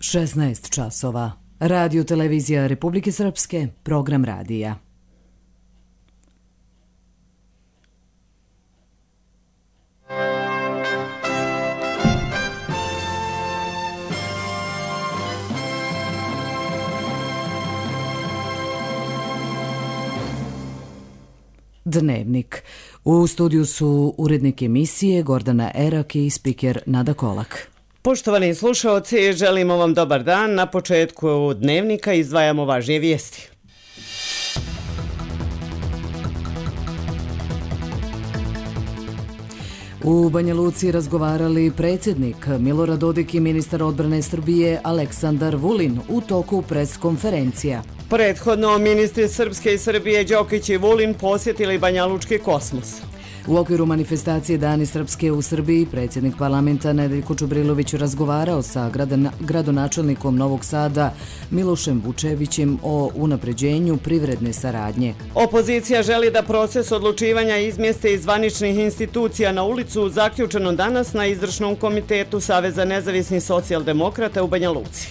16 časova. Radio televizija Republike Srpske, program radija. Dnevnik. U studiju su urednik emisije Gordana Erak i spiker Nada Kolak. Poštovani slušaoci, želimo vam dobar dan. Na početku Dnevnika izdvajamo važnije vijesti. U Banja Luci razgovarali predsjednik Milorad Dodik i ministar odbrane Srbije Aleksandar Vulin u toku pres-konferencija. Prethodno ministri Srpske i Srbije Đokić i Vulin posjetili banjalučki kosmos. U okviru manifestacije Dani Srpske u Srbiji predsjednik parlamenta Nedeljko Čubrilović razgovarao sa gradonačelnikom Novog Sada Milošem Vučevićem o unapređenju privredne saradnje. Opozicija želi da proces odlučivanja izmjeste iz zvaničnih institucija na ulicu zaključeno danas na izvršnom komitetu Saveza nezavisnih socijaldemokrata u Banja Luci.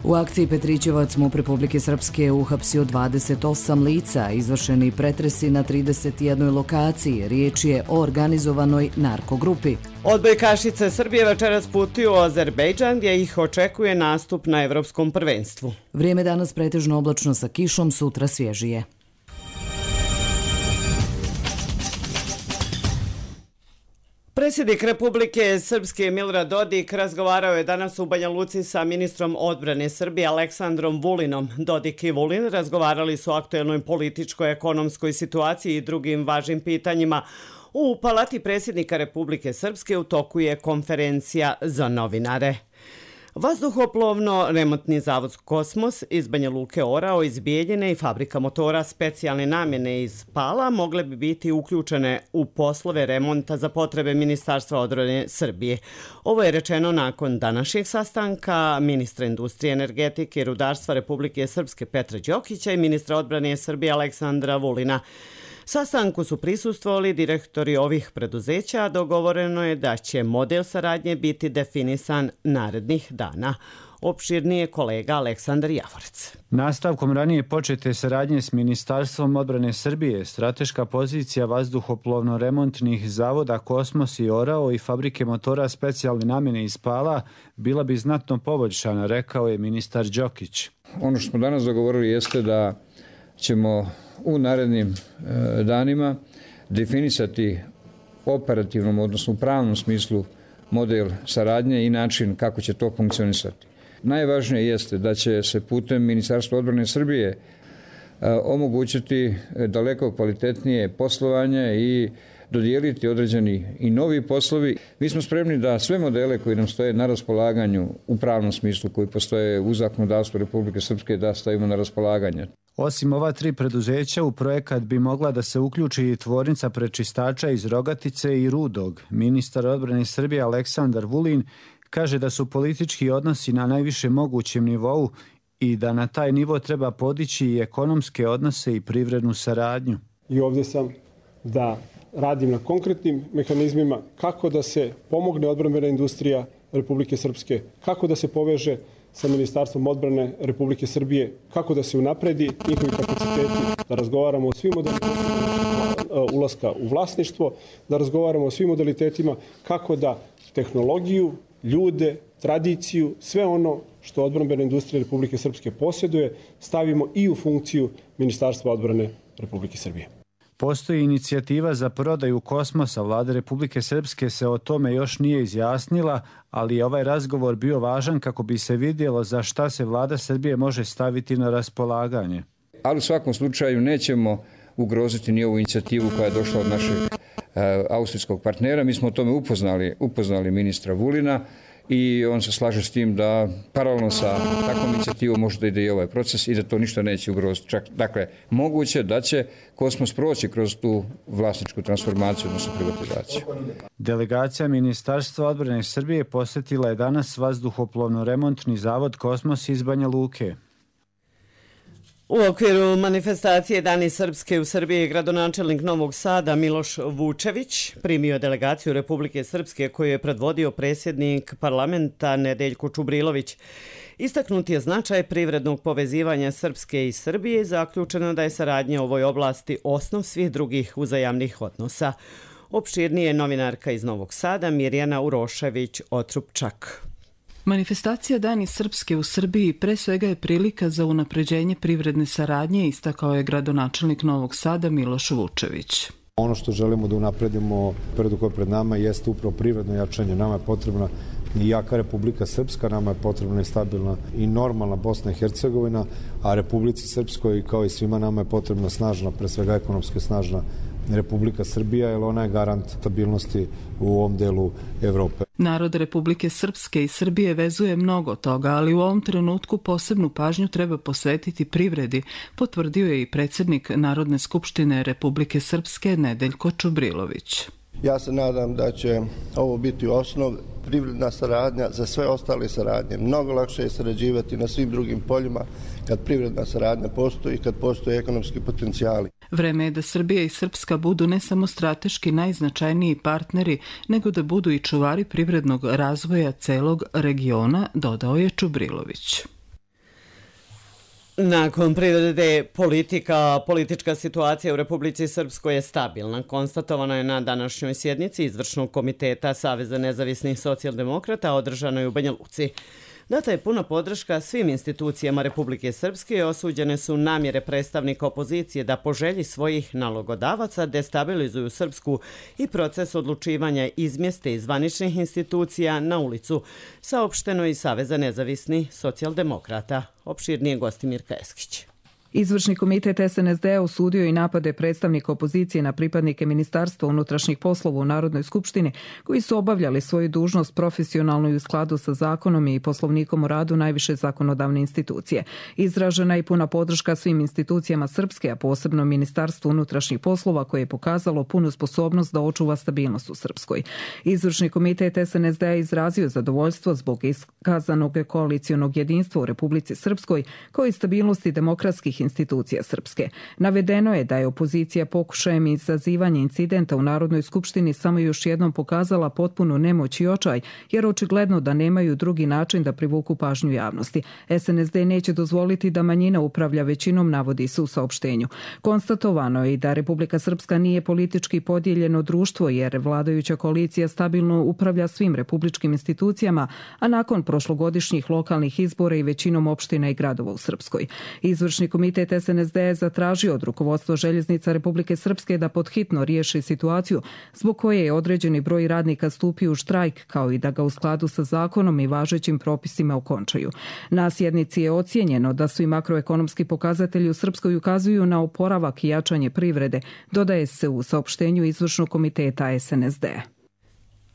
U akciji Petrićevac MUP Republike Srpske uhapsio 28 lica, izvršeni pretresi na 31 lokaciji. Riječ je o organizovanoj narkogrupi. Odbojkašice Srbije večeras putuju u Azerbejdžan gdje ih očekuje nastup na Evropskom prvenstvu. Vrijeme danas pretežno oblačno sa kišom, sutra svježije. Predsjednik Republike Srpske Milorad Dodik razgovarao je danas u Banja Luci sa ministrom odbrane Srbije Aleksandrom Vulinom. Dodik i Vulin razgovarali su o aktuelnoj političkoj, ekonomskoj situaciji i drugim važnim pitanjima. U Palati predsjednika Republike Srpske u toku je konferencija za novinare. Vazduhoplovno-remontni zavod Kosmos iz Banja Luke orao iz Bijeljine i fabrika motora specijalne namjene iz Pala mogle bi biti uključene u poslove remonta za potrebe Ministarstva odbrane Srbije. Ovo je rečeno nakon današnjeg sastanka ministra industrije, energetike i rudarstva Republike Srpske Petra Đokića i ministra odbrane Srbije Aleksandra Vulina. Sastanku su prisustvovali direktori ovih preduzeća, a dogovoreno je da će model saradnje biti definisan narednih dana. Opširnije kolega Aleksandar Javorec. Nastavkom ranije počete saradnje s Ministarstvom odbrane Srbije, strateška pozicija vazduhoplovno-remontnih zavoda Kosmos i Orao i fabrike motora specijalne namjene iz Pala bila bi znatno poboljšana, rekao je ministar Đokić. Ono što smo danas dogovorili jeste da ćemo u narednim danima definisati operativnom, odnosno u pravnom smislu model saradnje i način kako će to funkcionisati. Najvažnije jeste da će se putem Ministarstva odbrane Srbije omogućiti daleko kvalitetnije poslovanje i dodijeliti određeni i novi poslovi. Mi smo spremni da sve modele koji nam stoje na raspolaganju u pravnom smislu, koji postoje u zakonodavstvu Republike Srpske, da stavimo na raspolaganje. Osim ova 3 preduzeća, u projekat bi mogla da se uključi i tvornica prečistača iz Rogatice i Rudog. Ministar odbrane Srbije Aleksandar Vulin kaže da su politički odnosi na najvišem mogućem nivou i da na taj nivo treba podići i ekonomske odnose i privrednu saradnju. I ovdje sam da radim na konkretnim mehanizmima kako da se pomogne odbrambena industrija Republike Srpske, kako da se poveže sa Ministarstvom odbrane Republike Srbije, kako da se unapredi njihovi kapaciteti, da razgovaramo o svim modalitetima ulaska u vlasništvo, da razgovaramo o svim modalitetima kako da tehnologiju, ljude, tradiciju, sve ono što odbrambena industrija Republike Srpske posjeduje, stavimo i u funkciju Ministarstva odbrane Republike Srbije. Postoji inicijativa za prodaju Kosmosa. Vlada Republike Srpske se o tome još nije izjasnila, ali je ovaj razgovor bio važan kako bi se vidjelo za šta se Vlada Srbije može staviti na raspolaganje. Ali u svakom slučaju nećemo ugroziti ni ovu inicijativu koja je došla od našeg austrijskog partnera. Mi smo o tome upoznali ministra Vulina i on se slaže s tim da paralelno sa takvom inicijativom može da ide i ovaj proces i da to ništa neće ugroziti. Dakle, moguće da će Kosmos proći kroz tu vlasničku transformaciju, odnosno privatizaciju. Delegacija Ministarstva odbrane Srbije posjetila je danas vazduhoplovno-remontni zavod Kosmos iz Banja Luke. U okviru manifestacije Dani Srpske u Srbiji gradonačelnik Novog Sada Miloš Vučević primio delegaciju Republike Srpske koju je predvodio predsjednik parlamenta Nedeljko Čubrilović. Istaknut je značaj privrednog povezivanja Srpske i Srbije i zaključeno da je saradnja u ovoj oblasti osnov svih drugih uzajamnih odnosa. Opširnije novinarka iz Novog Sada Mirjana Urošević-Otrupčak. Manifestacija Dani Srpske u Srbiji pre svega je prilika za unapređenje privredne saradnje, istakao je gradonačelnik Novog Sada Miloš Vučević. Ono što želimo da unapredimo privredu koja je pred nama jeste upravo privredno jačanje. Nama je potrebna i jaka Republika Srpska, nama je potrebna i stabilna i normalna Bosna i Hercegovina, a Republici Srpskoj kao i svima nama je potrebna snažna, pre svega ekonomski snažna Republika Srbija, jer ona je garant stabilnosti u ovom delu Evrope. Narod Republike Srpske i Srbije vezuje mnogo toga, ali u ovom trenutku posebnu pažnju treba posvetiti privredi, potvrdio je i predsjednik Narodne skupštine Republike Srpske Nedeljko Čubrilović. Ja se nadam da će ovo biti osnov privredna saradnja za sve ostale saradnje. Mnogo lakše je sarađivati na svim drugim poljima kad privredna saradnja postoji i kad postoje ekonomski potencijali. Vreme je da Srbija i Srpska budu ne samo strateški najznačajniji partneri, nego da budu i čuvari privrednog razvoja celog regiona, dodao je Čubrilović. Nakon privrede politička situacija u Republici Srpskoj je stabilna. Konstatovano je na današnjoj sjednici Izvršnog komiteta Saveza nezavisnih socijaldemokrata održanoj u Banja Luci. Data je puna podrška svim institucijama Republike Srpske i osuđene su namjere predstavnika opozicije da po želji svojih nalogodavaca destabilizuju Srpsku i proces odlučivanja izmjeste iz zvaničnih institucija na ulicu, saopšteno iz Saveza nezavisnih socijaldemokrata. Opširnije Gostimir Eskić. Izvršni komitet SNSD osudio i napade predstavnika opozicije na pripadnike Ministarstva unutrašnjih poslova u Narodnoj skupštini koji su obavljali svoju dužnost profesionalno i u skladu sa zakonom i poslovnikom o radu najviše zakonodavne institucije. Izražena je puna podrška svim institucijama Srpske, a posebno Ministarstvu unutrašnjih poslova koje je pokazalo punu sposobnost da očuva stabilnost u Srpskoj. Izvršni komitet SNSD izrazio zadovoljstvo zbog iskazanog koalicijonog jedinstva u Republici Srpskoj kao i stabilnosti demokratskih institucija Srpske. Navedeno je da je opozicija pokušajem izazivanja incidenta u Narodnoj skupštini samo još jednom pokazala potpunu nemoć i očaj, jer očigledno da nemaju drugi način da privuku pažnju javnosti. SNSD neće dozvoliti da manjina upravlja većinom, navodi se u saopštenju. Konstatovano je i da Republika Srpska nije politički podijeljeno društvo, jer vladajuća koalicija stabilno upravlja svim republičkim institucijama, a nakon prošlogodišnjih lokalnih izbora i većinom opština i gradova u Srpskoj. Izvršni komitet SNSD je zatražio od rukovodstva Željeznica Republike Srpske da podhitno riješi situaciju zbog koje je određeni broj radnika stupio u štrajk, kao i da ga u skladu sa zakonom i važećim propisima okončaju. Na sjednici je ocijenjeno da svi makroekonomski pokazatelji u Srpskoj ukazuju na oporavak i jačanje privrede, dodaje se u saopštenju Izvršnog komiteta SNSD.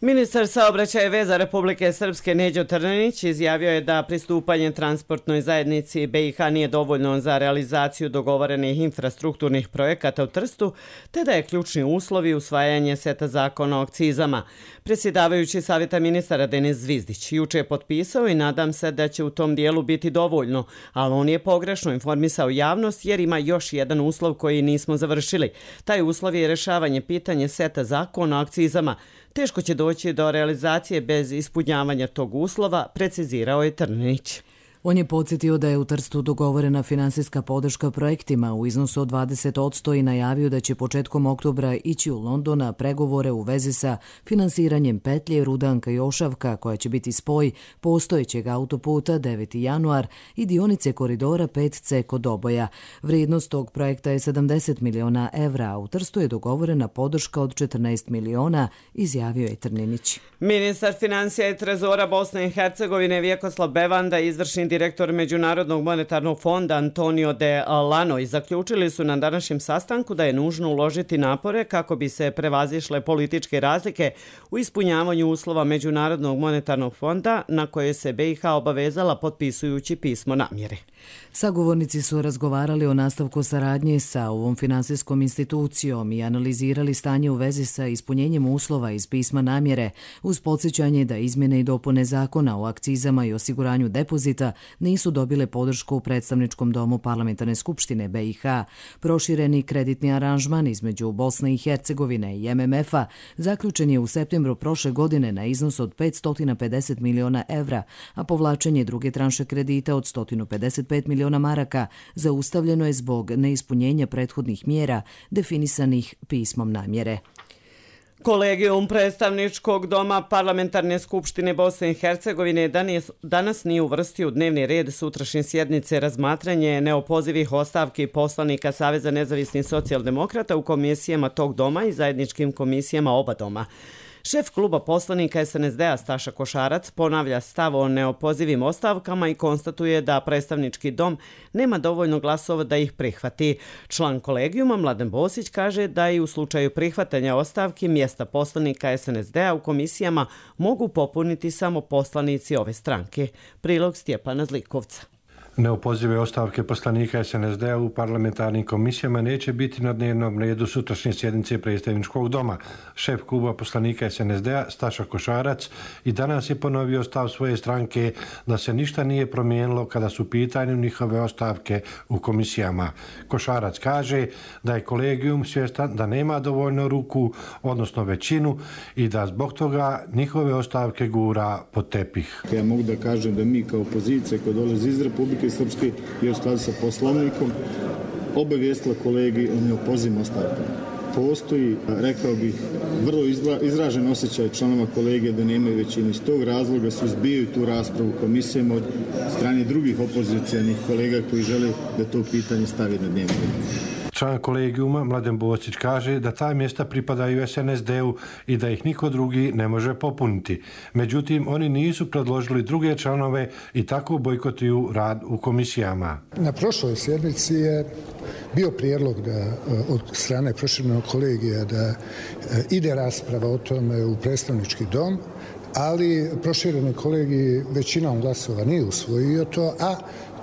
Ministar saobraćaja i veza Republike Srpske Neđo Trninić izjavio je da pristupanje transportnoj zajednici BiH nije dovoljno za realizaciju dogovorenih infrastrukturnih projekata u Trstu, te da je ključni uslov i usvajanje seta zakona o akcizama. Predsjedavajući Savjeta ministara Denis Zvizdić juče je potpisao i nadam se da će u tom dijelu biti dovoljno, ali on je pogrešno informisao javnost jer ima još jedan uslov koji nismo završili. Taj uslov je rješavanje pitanja seta zakona o akcizama. Teško će doći do realizacije bez ispunjavanja tog uslova, precizirao je Trninić. On je podsjetio da je u Trstu dogovorena finansijska podrška projektima u iznosu od 20% i najavio da će početkom oktobra ići u London na pregovore u vezi sa finansiranjem petlje Rudanka-Jošavka, koja će biti spoj postojećeg autoputa 9. januar i dionice koridora 5C kod Doboja. Vrijednost tog projekta je 70 miliona evra, a u Trstu je dogovorena podrška od 14 miliona, izjavio je Trninić. Ministar financija i trezora Bosne i Hercegovine Vjekoslav Bevanda i izvršni direktor Međunarodnog monetarnog fonda Antonio de Lano zaključili su na današnjem sastanku da je nužno uložiti napore kako bi se prevazišle političke razlike u ispunjavanju uslova Međunarodnog monetarnog fonda na koje se BiH obavezala potpisujući pismo namjere. Sagovornici su razgovarali o nastavku saradnje sa ovom finansijskom institucijom i analizirali stanje u vezi sa ispunjenjem uslova iz pisma namjere uz podsjećanje da izmjene i dopune zakona o akcizama i osiguranju depozita nisu dobile podršku u predstavničkom domu Parlamentarne skupštine BiH. Prošireni kreditni aranžman između Bosne i Hercegovine i MMF-a zaključen je u septembru prošle godine na iznos od 550 miliona evra, a povlačenje druge tranše kredita od 155 miliona maraka zaustavljeno je zbog neispunjenja prethodnih mjera definisanih pismom namjere. Kolegijum predstavničkog doma Parlamentarne skupštine Bosne i Hercegovine danas nije uvrstio u dnevni red sutrašnje sjednice razmatranje neopozivih ostavki poslanika Saveza nezavisnih socijaldemokrata u komisijama tog doma i zajedničkim komisijama oba doma. Šef kluba poslanika SNSD-a Staša Košarac ponavlja stav o neopozivim ostavkama i konstatuje da predstavnički dom nema dovoljno glasova da ih prihvati. Član kolegijuma Mladen Bosić kaže da i u slučaju prihvatanja ostavki mjesta poslanika SNSD-a u komisijama mogu popuniti samo poslanici ove stranke. Prilog Stjepana Zlikovca. Neopozive ostavke poslanika SNSD-a u parlamentarnim komisijama neće biti na dnevnom redu sutrašnje sjednice predstavničkog doma. Šef kluba poslanika SNSD-a Staša Košarac i danas je ponovio stav svoje stranke da se ništa nije promijenilo kada su u pitanju njihove ostavke u komisijama. Košarac kaže da je kolegijum svjestan da nema dovoljno ruku, odnosno većinu, i da zbog toga njihove ostavke gura pod tepih. Ja mogu da kažem da mi kao opozicija koja dolazi iz Republike Srpske i u skladu sa poslovnikom obavijestila kolegi o neopozivim ostavkama. Postoji, rekao bih, vrlo izražen osjećaj članova kolege da nemaju većinu. Iz tog razloga su izbijaju tu raspravu komisijama od strane drugih opozicijanih kolega koji žele da to pitanje stavi na dnevni red. Član kolegijuma Mladen Bosić kaže da ta mjesta pripadaju SNSD-u i da ih niko drugi ne može popuniti. Međutim, oni nisu predložili druge članove i tako bojkotuju rad u komisijama. Na prošloj sjednici je bio prijedlog da od strane proširenog kolegija da ide rasprava o tome u predstavnički dom, ali prošireni kolegij većinom glasova nije usvojio to, a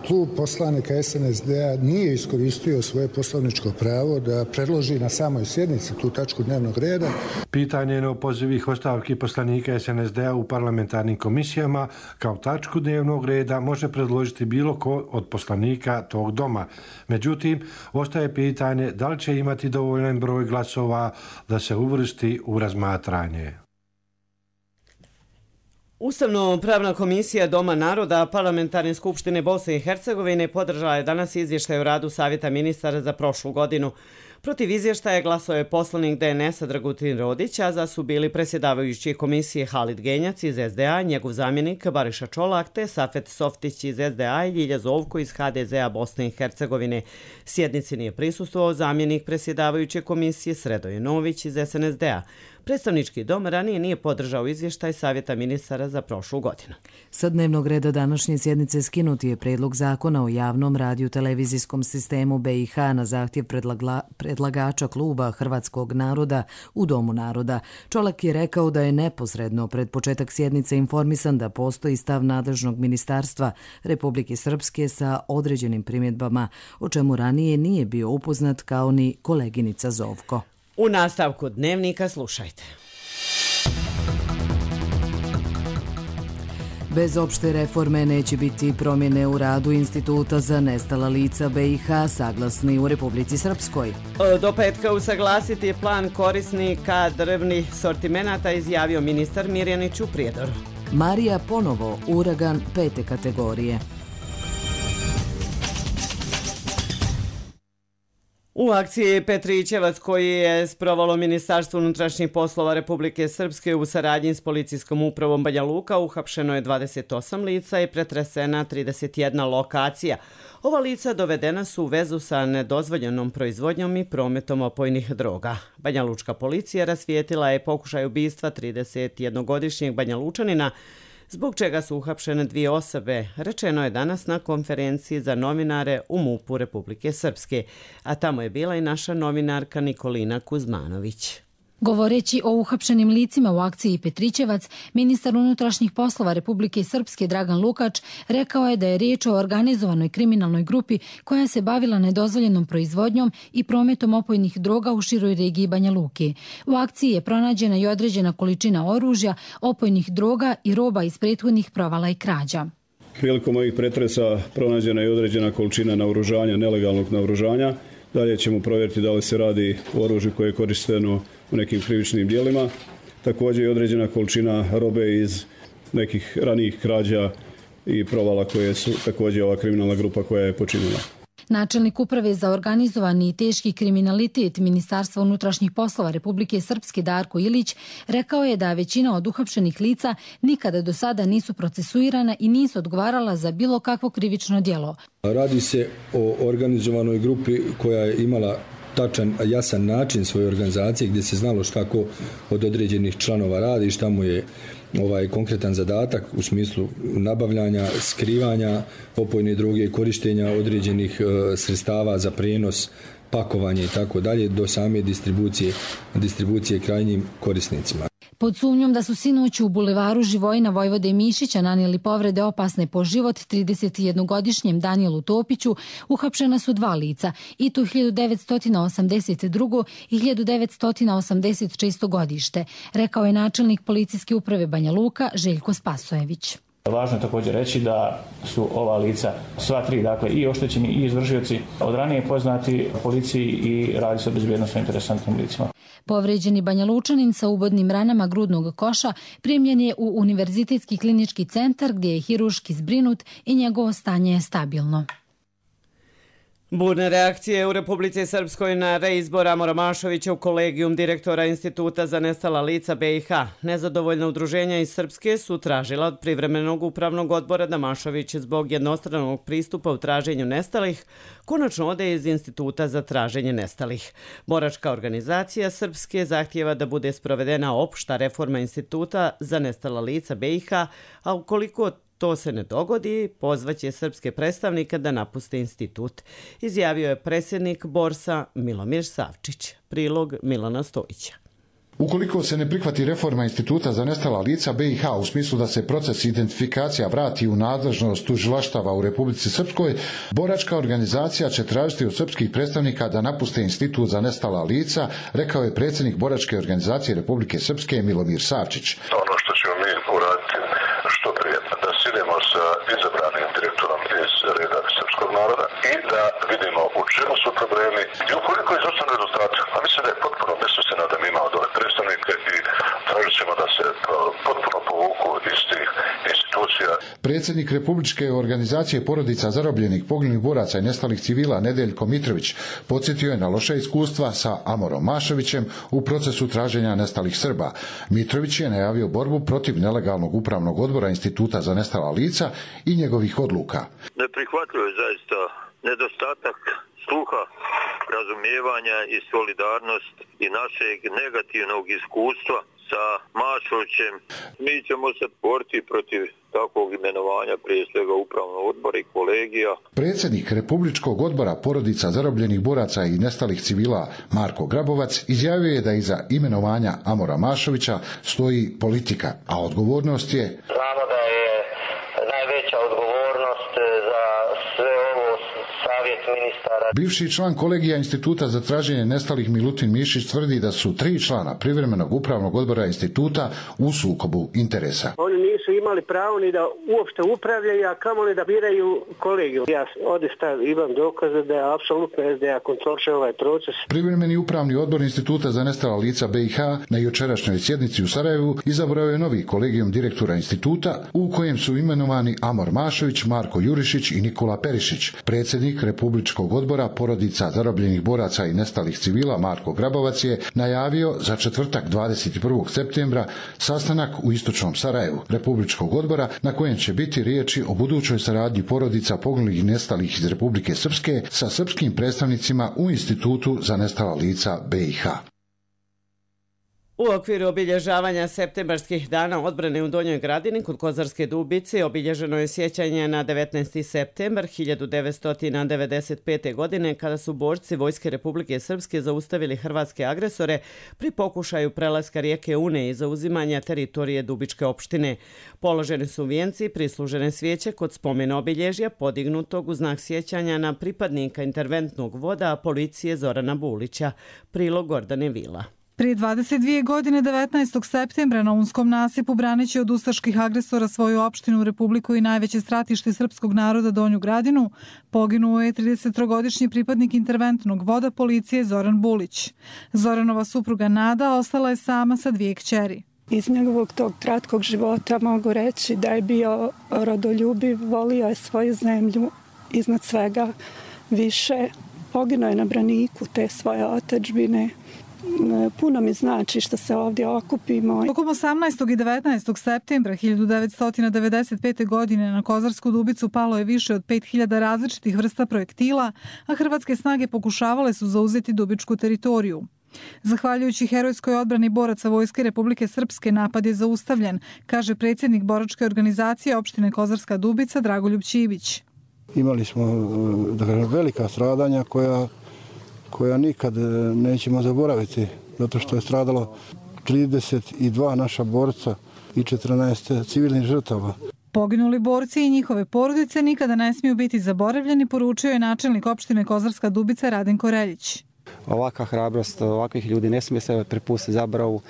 klub poslanika SNSD-a nije iskoristio svoje poslovničko pravo da predloži na samoj sjednici tu tačku dnevnog reda. Pitanje neopozivih ostavki poslanika SNSD-a u parlamentarnim komisijama kao tačku dnevnog reda može predložiti bilo ko od poslanika tog doma. Međutim, ostaje pitanje da li će imati dovoljan broj glasova da se uvrsti u razmatranje. Ustavno-pravna komisija Doma naroda Parlamentarne skupštine Bosne i Hercegovine podržala je danas izvještaj o radu Savjeta ministara za prošlu godinu. Protiv izvještaja glasao je poslanik DNS-a Dragutin Rodić, a za su bili predsjedavajući komisije Halid Genjac iz SDA, njegov zamjenik Bariša Čolak te Safet Softić iz SDA i Ljilja Zovko iz HDZ-a Bosne i Hercegovine. Sjednici nije prisustvovao zamjenik predsjedavajuće komisije Sredoje Nović iz SNSD-a. Predstavnički dom ranije nije podržao izvještaj Savjeta ministara za prošlu godinu. Sa dnevnog reda današnje sjednice skinuti je predlog zakona o javnom radio-televizijskom sistemu BiH na zahtjev predlagača kluba Hrvatskog naroda u Domu naroda. Čolak je rekao da je neposredno pred početak sjednice informisan da postoji stav nadležnog ministarstva Republike Srpske sa određenim primjedbama, o čemu ranije nije bio upoznat kao ni koleginica Zovko. U nastavku dnevnika slušajte. Bez opšte reforme neće biti promjene u radu Instituta za nestala lica BiH, saglasni u Republici Srpskoj. Do petka usaglasiti plan korisnika drvnih sortimenata, izjavio ministar Mirjanić u Prijedoru. Marija ponovo uragan 5. kategorije. U akciji Petrićevac koji je sprovalo Ministarstvo unutrašnjih poslova Republike Srpske u saradnji s policijskom upravom Banja Luka uhapšeno je 28 lica i pretresena 31 lokacija. Ova lica dovedena su u vezu sa nedozvoljenom proizvodnjom i prometom opojnih droga. Banja Lučka policija rasvijetila je pokušaj ubistva 31-godišnjeg Banja Lučanina, zbog čega su uhapšene 2 osobe, rečeno je danas na konferenciji za novinare u MUP-u Republike Srpske, a tamo je bila i naša novinarka Nikolina Kuzmanović. Govoreći o uhapšenim licima u akciji Petrićevac, ministar unutrašnjih poslova Republike Srpske Dragan Lukač rekao je da je riječ o organizovanoj kriminalnoj grupi koja se bavila nedozvoljenom proizvodnjom i prometom opojnih droga u široj regiji Banja Luke. U akciji je pronađena i određena količina oružja, opojnih droga i roba iz prethodnih provala i krađa. Prilikom ovih pretresa pronađena je određena količina naoružanja, nelegalnog naoružanja. Dalje ćemo provjeriti da li se radi o oružju koje je korišteno u nekim krivičnim djelima. Također je određena količina robe iz nekih ranijih krađa i provala koje su također ova kriminalna grupa koja je počinila. Načelnik Uprave za organizovani i teški kriminalitet Ministarstva unutrašnjih poslova Republike Srpske Darko Ilić rekao je da većina od uhapšenih lica nikada do sada nisu procesuirana i nisu odgovarala za bilo kakvo krivično djelo. Radi se o organizovanoj grupi koja je imala tačan, jasan način svoje organizacije gdje se znalo šta ko od određenih članova radi, šta mu je konkretan zadatak u smislu nabavljanja, skrivanja opojne droge, korištenja određenih sredstava za prijenos, pakovanje i tako dalje do same distribucije krajnjim korisnicima. Pod sumnjom da su sinoć u bulevaru Živojina Vojvode Mišića nanijeli povrede opasne po život 31-godišnjem Danijelu Topiću, uhapšena su 2 lica, i to 1982. i 1986. godište, rekao je načelnik policijske uprave Banja Luka Željko Spasojević. Važno je također reći da su ova lica, sva 3, dakle i oštećeni i izvršioci, od ranije poznati policiji i radi se o bezbjednosno interesantnim licima. Povređeni Banja Lučanin sa ubodnim ranama grudnog koša primljen je u Univerzitetski klinički centar gdje je hiruški zbrinut i njegovo stanje je stabilno. Burne reakcije u Republici Srpskoj na reizbor Amora Mašovića u kolegijum direktora Instituta za nestala lica BiH. Nezadovoljna udruženja iz Srpske su tražila od privremenog upravnog odbora da Mašović zbog jednostranog pristupa u traženju nestalih konačno ode iz Instituta za traženje nestalih. Boračka organizacija Srpske zahtijeva da bude sprovedena opšta reforma Instituta za nestala lica BiH, a ukoliko to se ne dogodi, pozvaće srpske predstavnike da napuste institut, izjavio je predsjednik Borsa Milomir Savčić. Prilog Milana Stojića. Ukoliko se ne prihvati reforma Instituta za nestala lica BiH u smislu da se proces identifikacija vrati u nadležnost tužilaštava u Republici Srpskoj, boračka organizacija će tražiti od srpskih predstavnika da napuste Institut za nestala lica, rekao je predsjednik boračke organizacije Republike Srpske Milomir Savčić. Ono što ćemo mi uraditi što prije, da sidemo sa izabranim direktorom iz reda srpskog naroda i da vidimo u čemu su problemi i ukoliko izostane rezultati, a mislim da je potpuno besmisleno da mi imamo dole predstavnike i tražit ćemo da se potpuno povuku iz tih institucija. Predsjednik Republičke organizacije porodica zarobljenih, poginulih boraca i nestalih civila Nedeljko Mitrović podsjetio je na loše iskustva sa Amorom Mašovićem u procesu traženja nestalih Srba. Mitrović je najavio borbu protiv nelegalnog upravnog odbora Instituta za nestala lica i njegovih odluka. Neprihvatljivo je zaista nedostatak sluha, razumijevanja i solidarnost i našeg negativnog iskustva sa Mašovićem. Mi ćemo se boriti protiv takvog imenovanja prije svega upravnog odbora i kolegija. Predsjednik Republičkog odbora porodica zarobljenih boraca i nestalih civila Marko Grabovac izjavio je da iza imenovanja Amora Mašovića stoji politika, a odgovornost je... Znamo da je najveća odgovornost za sve ovo savjet ministara. Bivši član kolegija Instituta za traženje nestalih Milutin Mišić tvrdi da su 3 člana privremenog upravnog odbora instituta u sukobu interesa. Oni nisu imali pravo ni da uopšte upravljaju, a kamoli da biraju kolegiju. Ja ovdje imam dokaze da je apsolutno SDA kontroliše ovaj proces. Privremeni upravni odbor Instituta za nestala lica BiH na jučerašnjoj sjednici u Sarajevu izabrao je novi kolegijum direktora instituta u kojem su imenovani Amor Mašović, Marko Jurišić i Nikola Perišić. Predsjednik Republičkog odbora porodica zarobljenih boraca i nestalih civila Marko Grabovac je najavio za četvrtak 21. septembra sastanak u istočnom Sarajevu Republičkog odbora na kojem će biti riječi o budućoj saradnji porodica poginulih i nestalih iz Republike Srpske sa srpskim predstavnicima u Institutu za nestala lica BiH. U okviru obilježavanja septembarskih dana odbrane u Donjoj Gradini kod Kozarske Dubice obilježeno je sjećanje na 19. septembar 1995. godine kada su borci Vojske Republike Srpske zaustavili hrvatske agresore pri pokušaju prelaska rijeke Une i zauzimanja teritorije Dubičke opštine. Položeni su vijenci i prislužene svijeće kod spomena obilježja podignutog u znak sjećanja na pripadnika interventnog voda policije Zorana Bulića. Prilog Gordane Vila. Prije 22 godine, 19. septembra, na Unskom nasipu braneći od ustaških agresora svoju opštinu, Republiku i najveće stratište srpskog naroda Donju Gradinu, poginuo je 33-godišnji pripadnik interventnog voda policije Zoran Bulić. Zoranova supruga Nada ostala je sama sa 2 kćeri. Iz njegovog tog kratkog života mogu reći da je bio rodoljubiv, volio je svoju zemlju iznad svega više. Poginuo je na braniku te svoje otadžbine. Puno mi znači što se ovdje okupimo. Tokom 18. i 19. septembra 1995. godine na Kozarsku Dubicu palo je više od 5000 različitih vrsta projektila, a hrvatske snage pokušavale su zauzeti dubičku teritoriju. Zahvaljujući herojskoj odbrani boraca Vojske Republike Srpske, napad je zaustavljen, kaže predsjednik boračke organizacije opštine Kozarska Dubica Dragoljub Ćivić. Imali smo velika stradanja koja nikad nećemo zaboraviti, zato što je stradalo 32 naša borca i 14 civilnih žrtava. Poginuli borci i njihove porodice nikada ne smiju biti zaboravljeni, poručio je načelnik opštine Kozarska Dubica Radenko Reljić. Ovakva hrabrost ovakvih ljudi ne smije se prepustiti zaboravu.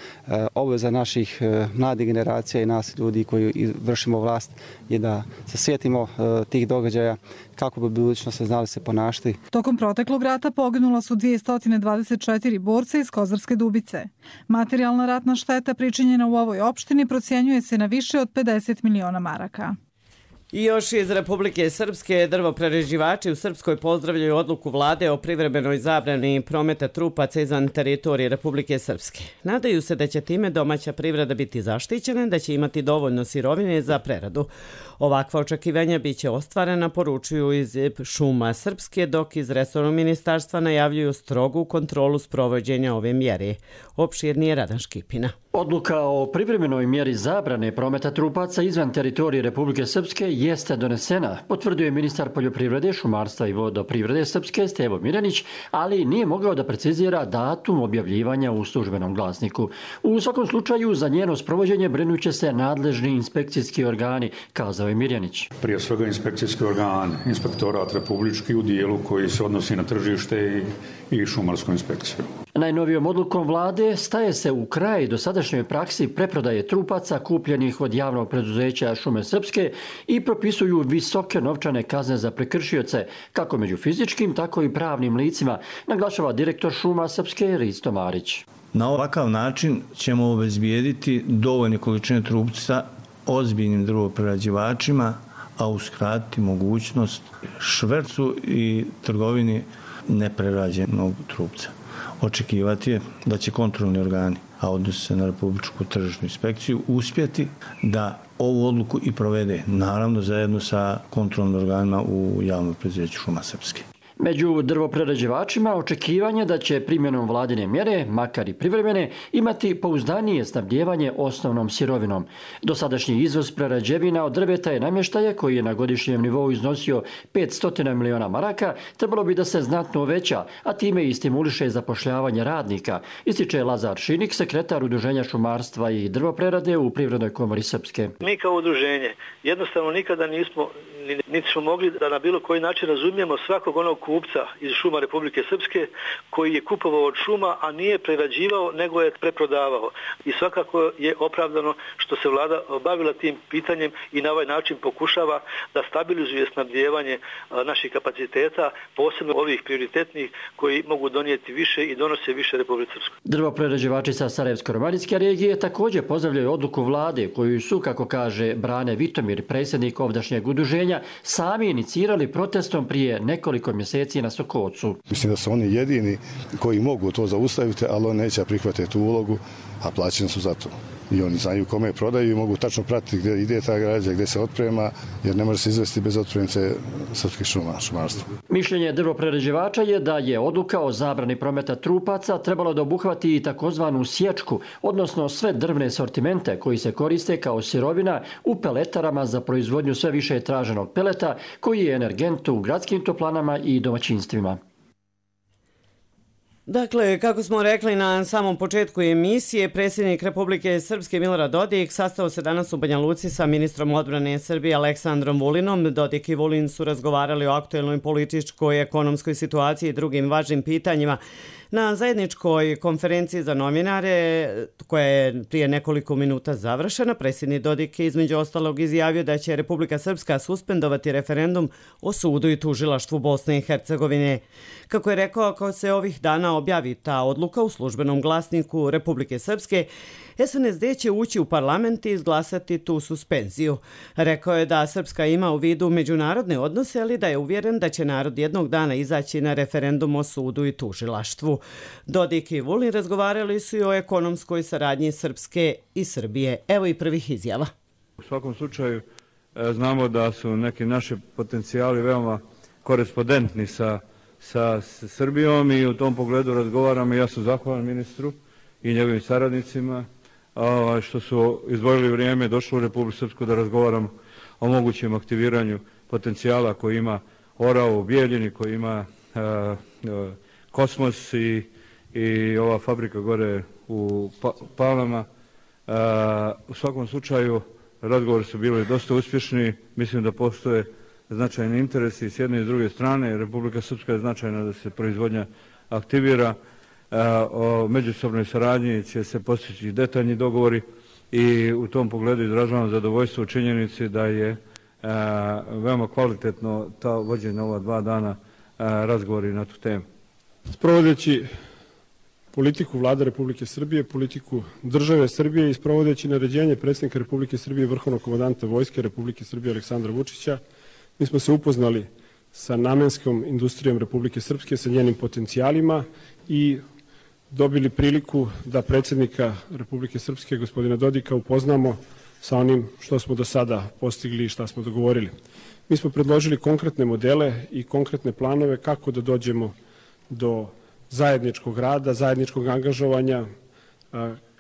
Obveza naših mladih generacija i nas ljudi koji vršimo vlast je da se sjetimo tih događaja kako bi budućnost znali se ponašati. Tokom proteklog rata poginula su 224 borca iz Kozarske Dubice. Materijalna ratna šteta pričinjena u ovoj opštini procjenjuje se na više od 50 miliona maraka. I još iz Republike Srpske, drvoprerađivači u Srpskoj pozdravljaju odluku vlade o privremenoj zabrani prometa trupaca izvan teritorije Republike Srpske. Nadaju se da će time domaća privreda biti zaštićena, da će imati dovoljno sirovine za preradu. Ovakva očekivanja biće ostvarena, poručuju iz Šuma Srpske, dok iz resornog ministarstva najavljuju strogu kontrolu sprovođenja ove mjere. Opširnije Radan Škipina. Odluka o privremenoj mjeri zabrane prometa trupaca izvan teritorije Republike Srpske jeste donesena, potvrdio ministar poljoprivrede, šumarstva i vodoprivrede Srpske Stevo Mirjanić, ali nije mogao da precizira datum objavljivanja u službenom glasniku. U svakom slučaju za njeno sprovođenje brinuće se nadležni inspekcijski organi, kazao je Mirjanić. Prije svega inspekcijski organ, inspektorat republički u dijelu koji se odnosi na tržište i šumarsku inspekciju. Najnovijom odlukom vlade staje se u kraj dosadašnjoj praksi preprodaje trupaca kupljenih od javnog preduzeća Šume Srpske i propisuju visoke novčane kazne za prekršioce, kako među fizičkim, tako i pravnim licima, naglašava direktor Šuma Srpske Risto Marić. Na ovakav način ćemo obezbijediti dovoljne količine trupca ozbiljnim drvoprerađivačima, a uskratiti mogućnost švercu i trgovini neprerađenog trupca. Očekivati je da će kontrolni organi, a odnosi se na Republičku tržišnu inspekciju, uspjeti da ovu odluku i provede, naravno zajedno sa kontrolnim organima u javnom preduzeću Šuma Srpske. Među drvoprerađivačima očekivanje da će primjenom vladine mjere, makar i privremene, imati pouzdanije snabdijevanje osnovnom sirovinom. Dosadašnji izvoz prerađevina od drveta i namještaja, koji je na godišnjem nivou iznosio 500 miliona maraka, trebalo bi da se znatno uveća, a time i stimuliše zapošljavanje radnika, ističe Lazar Šinik, sekretar Udruženja šumarstva i drvoprerade u Privrednoj komori Srpske. Mi kao udruženje jednostavno nikada niti smo mogli da na bilo koji način razumijemo svakog onog kupca iz šuma Republike Srpske koji je kupovao od šuma, a nije prerađivao, nego je preprodavao. I svakako je opravdano što se vlada bavila tim pitanjem i na ovaj način pokušava da stabilizuje snabdijevanje naših kapaciteta, posebno ovih prioritetnih koji mogu donijeti više i donose više Republike Srpske. Drvoprerađivači sa Sarajevsko-romanijske regije također pozdravljaju odluku vlade koju su, kako kaže Brane Vitomir, predsjednik ovdašnjeg udruženja, sami inicirali protestom prije nekoliko mjeseci na Sokocu. Mislim da su oni jedini koji mogu to zaustaviti, ali oni neće prihvatiti tu ulogu, a plaćeni su za to. I oni znaju kome prodaju i mogu tačno pratiti gdje ide ta građa, gdje se otprema, jer ne može se izvesti bez otpremnice srpskih šumarstva. Mišljenje drvoprerađivača je da je odluka o zabrani prometa trupaca trebalo da obuhvati i takozvanu sječku, odnosno sve drvne sortimente koji se koriste kao sirovina u peletarama za proizvodnju sve više traženog peleta, koji je energent u gradskim toplanama i domaćinstvima. Dakle, kako smo rekli na samom početku emisije, predsjednik Republike Srpske Milorad Dodik sastao se danas u Banja Luci sa ministrom odbrane Srbije Aleksandrom Vulinom. Dodik i Vulin su razgovarali o aktuelnoj političkoj, ekonomskoj situaciji i drugim važnim pitanjima. Na zajedničkoj konferenciji za novinare, koja je prije nekoliko minuta završena, predsjednik Dodik je između ostalog izjavio da će Republika Srpska suspendovati referendum o sudu i tužilaštvu Bosne i Hercegovine. Kako je rekao, ako se ovih dana objavi ta odluka u službenom glasniku Republike Srpske, SNSD će ući u parlament i izglasati tu suspenziju. Rekao je da Srpska ima u vidu međunarodne odnose, ali da je uvjeren da će narod jednog dana izaći na referendum o sudu i tužilaštvu. Dodik i Vulin razgovarali su i o ekonomskoj saradnji Srpske i Srbije. Evo i prvih izjava. U svakom slučaju znamo da su neki naši potencijali veoma korespondentni sa Srbijom i u tom pogledu razgovaramo. Ja sam zahvalan ministru i njegovim saradnicima što su izdvojili vrijeme, došli u Republiku Srpsku da razgovaram o mogućem aktiviranju potencijala koji ima Orao u Bijeljini, koji ima Kosmos i ova fabrika gore u Palama. U svakom slučaju razgovori su bili dosta uspješni. Mislim da postoje značajni interesi s jedne i s druge strane. Republika Srpska je značajna da se proizvodnja aktivira. O međusobnoj saradnji će se postići detaljni dogovori i u tom pogledu izražavam zadovoljstvo u činjenici da je veoma kvalitetno ta vođenja ova 2 dana razgovori na tu temu. Sprovodeći politiku Vlade Republike Srbije, politiku države Srbije i sprovodeći naređenje predsjednika Republike Srbije, vrhovnog komandanta Vojske Republike Srbije Aleksandra Vučića, mi smo se upoznali sa namenskom industrijom Republike Srpske, sa njenim potencijalima i dobili priliku da predsjednika Republike Srpske, gospodina Dodika, upoznamo sa onim što smo do sada postigli i šta smo dogovorili. Mi smo predložili konkretne modele i konkretne planove kako da dođemo do zajedničkog rada, zajedničkog angažovanja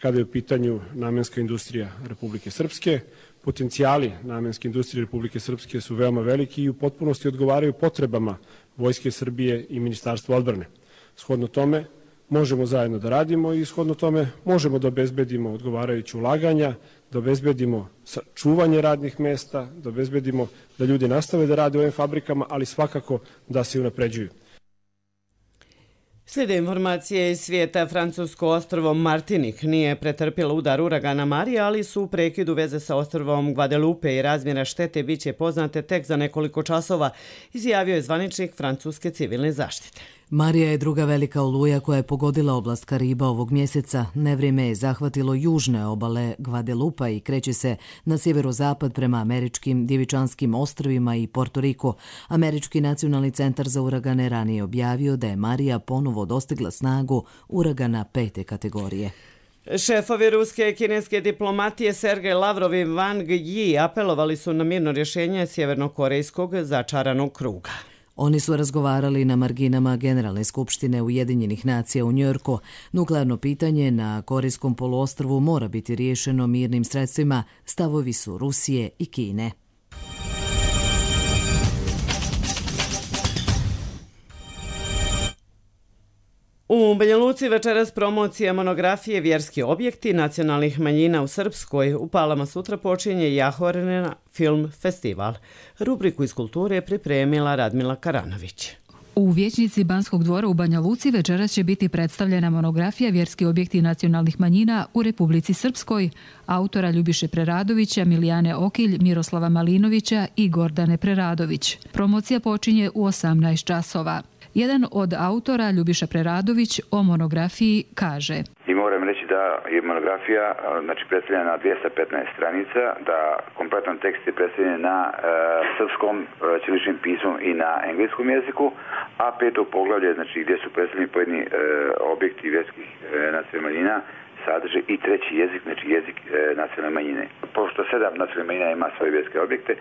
kada je u pitanju namenska industrija Republike Srpske. Potencijali namenske industrije Republike Srpske su veoma veliki i u potpunosti odgovaraju potrebama Vojske Srbije i Ministarstva odbrane. Shodno tome možemo zajedno da radimo i shodno tome možemo da obezbedimo odgovarajuće ulaganja, da obezbedimo čuvanje radnih mesta, da obezbedimo da ljudi nastave da rade u ovim fabrikama, ali svakako da se unapređuju. Slijede informacije iz svijeta. Francusko ostrvo Martinik nije pretrpjelo udar uragana Marija, ali su u prekidu veze sa ostrvom Guadeloupe i razmjera štete biće poznate tek za nekoliko časova, izjavio je zvaničnik francuske civilne zaštite. Marija je druga velika oluja koja je pogodila oblast Kariba ovog mjeseca. Nevrijeme je zahvatilo južne obale Guadeloupa i kreće se na sjeverozapad prema američkim Djevičanskim ostrvima i Porto Riko. Američki nacionalni centar za uragane ranije objavio da je Marija ponovo dostigla snagu uragana 5. kategorije. Šefovi ruske i kineske diplomatije Sergej Lavrov i Wang Yi apelovali su na mirno rješenje sjevernokorejskog začaranog kruga. Oni su razgovarali na marginama Generalne skupštine Ujedinjenih nacija u Njujorku. Nuklearno pitanje na Korejskom poluostrvu mora biti riješeno mirnim sredstvima, stavovi su Rusije i Kine. U Banja Luci večeras promocija monografije Vjerski objekti nacionalnih manjina u Srpskoj. U Palama sutra počinje Jahorina film festival. Rubriku iz kulture je pripremila Radmila Karanović. U vijećnici Banskog dvora u Banja Luci večeras će biti predstavljena monografija Vjerski objekti nacionalnih manjina u Republici Srpskoj, autora Ljubiše Preradovića, Milijane Okilj, Miroslava Malinovića i Gordane Preradović. Promocija počinje u 18 časova. Jedan od autora, Ljubiša Preradović, o monografiji kaže: I moram reći da je monografija predstavljena na 215 stranica, da kompletan tekst je predstavljen na srpskom ćiriličnim pismom i na engleskom jeziku, a 5. poglavlje, gdje su predstavljeni pojedini objekti vjerskih nacionalnih manjina, sadrže i 3. jezik, jezik nacionalne manjine. Pošto 7 nacionalnih manjina ima svoje vjerske objekte,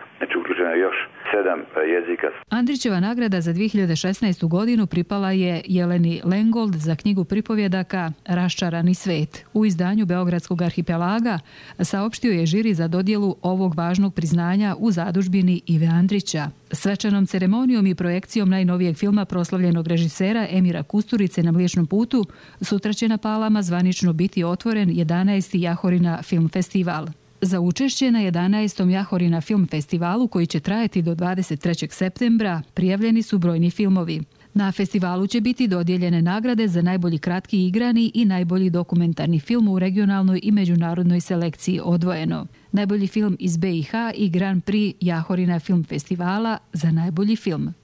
uključeno je još 7 jezika. Andrićeva nagrada za 2016. godinu pripala je Jeleni Lengold za knjigu pripovjedaka Raščarani svet. U izdanju Beogradskog arhipelaga saopštio je žiri za dodjelu ovog važnog priznanja u zadužbini Ive Andrića. Svečanom ceremonijom i projekcijom najnovijeg filma proslavljenog režisera Emira Kusturice Na Mliječnom putu sutra će na Palama zvanično biti otvoren 11. Jahorina film festival. Za učešće na 11. Jahorina film festivalu, koji će trajati do 23. septembra, prijavljeni su brojni filmovi. Na festivalu će biti dodijeljene nagrade za najbolji kratki igrani i najbolji dokumentarni film u regionalnoj i međunarodnoj selekciji odvojeno. Najbolji film iz BiH i Grand Prix Jahorina film festivala za najbolji film.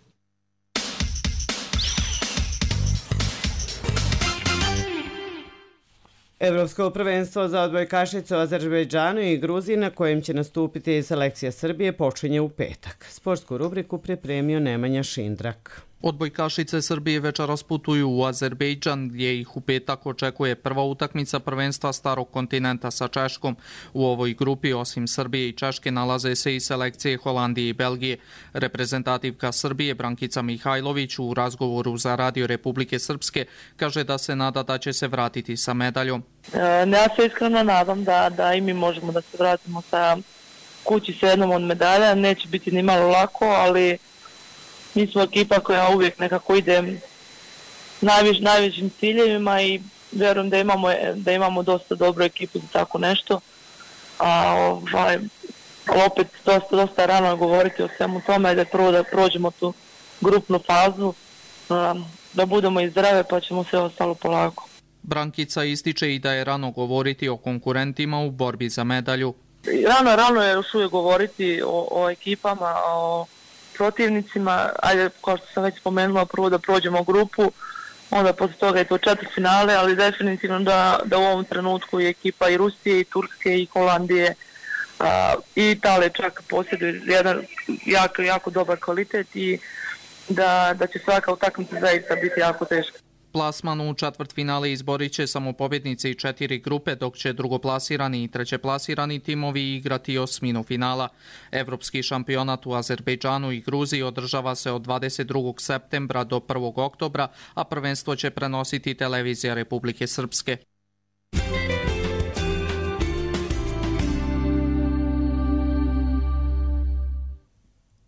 Evropsko prvenstvo za odbojkašice u Azerbejdžanu i Gruziji na kojem će nastupiti selekcija Srbije počinje u petak. Sportsku rubriku pripremio Nemanja Šindrak. Odbojkašice Srbije večeras putuju u Azerbejdžan gdje ih u petak očekuje prva utakmica prvenstva Starog kontinenta sa Češkom. U ovoj grupi osim Srbije i Češke nalaze se i selekcije Holandije i Belgije. Reprezentativka Srbije Brankica Mihajlović u razgovoru za Radio Republike Srpske kaže da se nada da će se vratiti sa medaljom. Ja se iskreno nadam da i mi možemo da se vratimo sa kući sa jednom od medalja. Neće biti ni malo lako, ali mi smo ekipa koja uvijek nekako ide najvećim ciljevima i vjerujem da imamo dosta dobru ekipu za tako nešto. Opet dosta rano govoriti o svemu tome, da prvo da prođemo tu grupnu fazu, da budemo i zdrave pa ćemo sve ostalo polako. Brankica ističe i da je rano govoriti o konkurentima u borbi za medalju. Rano je još uvijek govoriti o ekipama, o protivnicima, ajde, kao što sam već spomenula, prvo da prođemo grupu, onda posle toga je to četvrtfinale, ali definitivno da u ovom trenutku je ekipa i Rusije, i Turske, i Holandije, i Italije čak posjeduje jedan jako dobar kvalitet i da će svaka utakmica zaista biti jako teška. Plasman u četvrtfinale izborit će samo pobjednice i 4 grupe, dok će drugoplasirani i trećeplasirani timovi igrati osminu finala. Evropski šampionat u Azerbejdžanu i Gruziji održava se od 22. septembra do 1. oktobra, a prvenstvo će prenositi televizija Republike Srpske.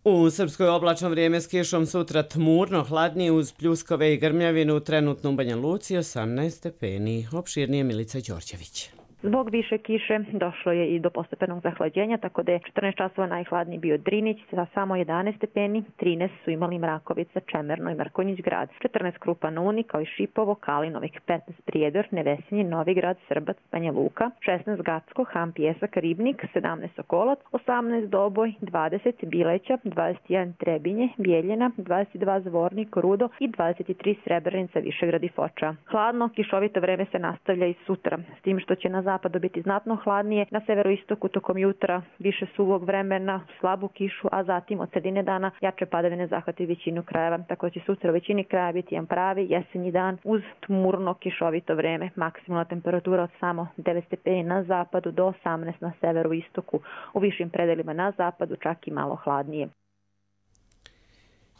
U Srpskoj oblačno vrijeme s kišom, sutra tmurno, hladnije uz pljuskove i grmljavinu, trenutno u Banja Luci 18 stepeni. Opširnije Milica Đorđević. Zbog više kiše došlo je i do postepenog zahlađenja, tako da je 14 časova najhladniji bio Drinić sa samo 11 stepeni, 13 su imali Mrakovica, Čemerno i Mrkonjić grad, 14 Krupa na Uni, kao i Šipovo, Kalinovik, 15 Prijedor, Nevesinje, Novigrad, Srbac, Banja Luka, 16 Gacko, Ham, Pjesak, Ribnik, 17 Sokolac, 18 Doboj, 20 Bileća, 21 Trebinje, Bijeljina, 22 Zvornik, Rudo i 23 Srebrenica, Višegrad i Foča. Hladno, kišovito vreme se nastavlja i sutra, s tim što će na zapadu biti znatno hladnije, na severoistoku tokom jutra više suvog vremena, slabu kišu, a zatim od sredine dana jače padavine zahvati većinu krajeva. Tako će sutra u većini kraja biti jedan pravi jesenji dan uz tmurno kišovito vreme. Maksimalna temperatura od samo 9 stepeni na zapadu do 18 na severoistoku. U višim predelima na zapadu čak i malo hladnije.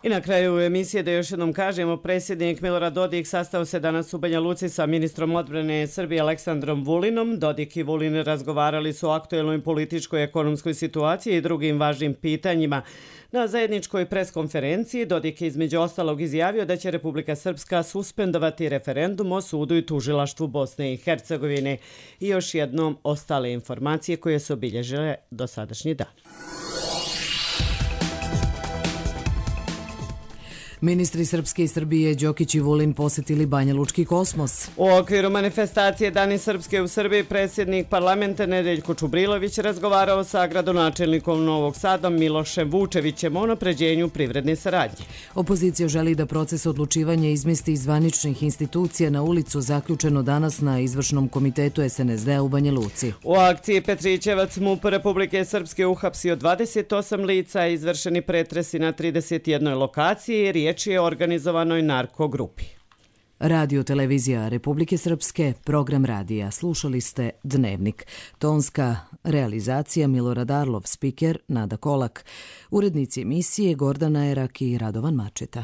I na kraju emisije da još jednom kažemo, predsjednik Milorad Dodik sastao se danas u Banja Luci sa ministrom odbrane Srbije Aleksandrom Vulinom. Dodik i Vulin razgovarali su o aktuelnoj političkoj i ekonomskoj situaciji i drugim važnim pitanjima. Na zajedničkoj preskonferenciji Dodik je između ostalog izjavio da će Republika Srpska suspendovati referendum o sudu i tužilaštvu Bosne i Hercegovine. I još jednom ostale informacije koje su obilježile dosadašnji dan. Ministri Srpske i Srbije Đokić i Vulin posjetili Banja Lučki kosmos. U okviru manifestacije Dani Srpske u Srbiji predsjednik parlamenta Nedeljko Čubrilović razgovarao sa gradonačelnikom Novog Sada Milošem Vučevićem o unapređenju privredne saradnje. Opozicija želi da proces odlučivanja izmesti iz zvaničnih institucija na ulicu, zaključeno danas na izvršnom komitetu SNSD u Banja Luci. U akciji Petrićevac MUP Republike Srpske uhapsio 28 lica, izvršeni pretresi na 31 lokaciji, riječ je o organizovanoj narkogrupi. Radio televizija Republike Srpske, program radija. Slušali ste Dnevnik. Tonska realizacija Milorad Arlov, spiker Nada Kolak. Urednici emisije Gordana Erak i Radovan Mačeta.